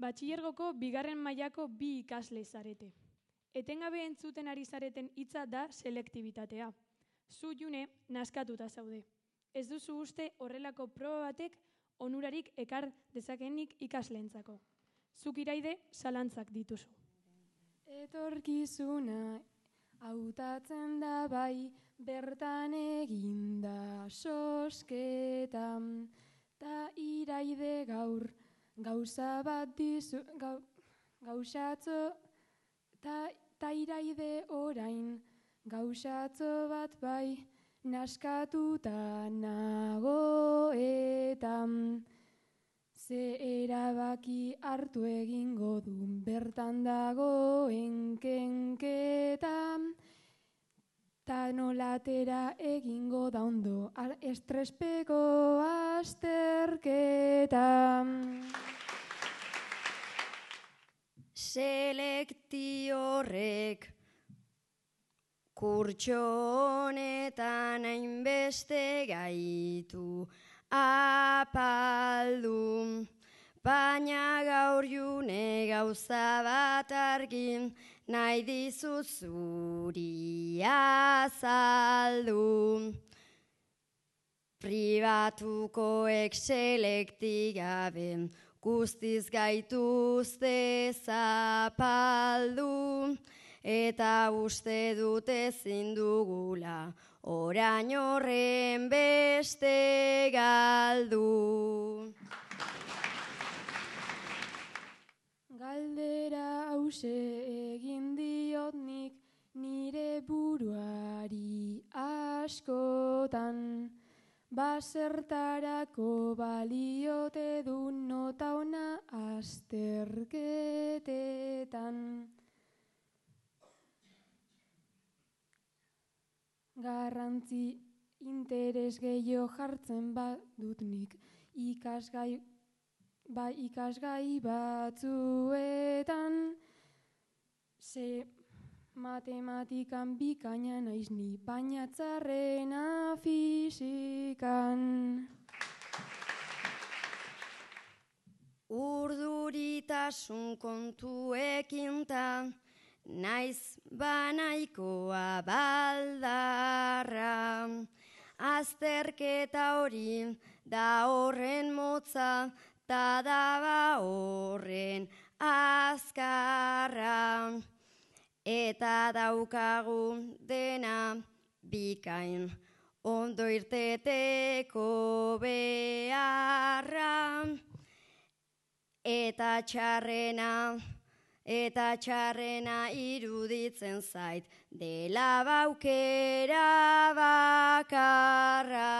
Batxilergoko bigarren mailako bi ikasle zarete. Etengabe entzuten ari zareten hitza da selektibitatea. Zu, June, naskatuta zaude. Ez duzu uste horrelako proba batek onurarik ekar dezakenik ikasleentzako. Zuk, Iraide, zalantzak dituzu. Etorkizuna hautatzen da bai, bertan eginda sosketan, ta Iraide gaur gauza bat dizu, gauzatzo, ta Iraide orain gauzatzo bat bai, naskatuta nagoetan. Ze erabaki hartu egingo duen bertan dagoen kenketa, ta nolatera egingo da ondo estrespeko azterketa. Selekti horrek kurtso honetan hainbeste gaitu apaldu, baina gaur June gauza bat argin nahi dizut zuri azaldu. Pribatukoek selekti gabe guztiz gaituzte zapaldu, eta uste dut ezin dugula orain horren beste galdu. Galdera hause egin diot nik nire buruari askotan, basertarako baliote du nota ona azterketetan. Garrantzi interes gehiago jartzen badut nik ikasgai batzuetan, ze matematikan bikaina naiz ni, baina txarrena fizikan. Urduritasun kontuekin ta naiz banaikoa baldarra, azterketa hori da horren motza, ta daba horren azkarra, eta daukagu dena bikain ondo irteteko beharra, eta txarrena iruditzen zait dela baukera bakarra.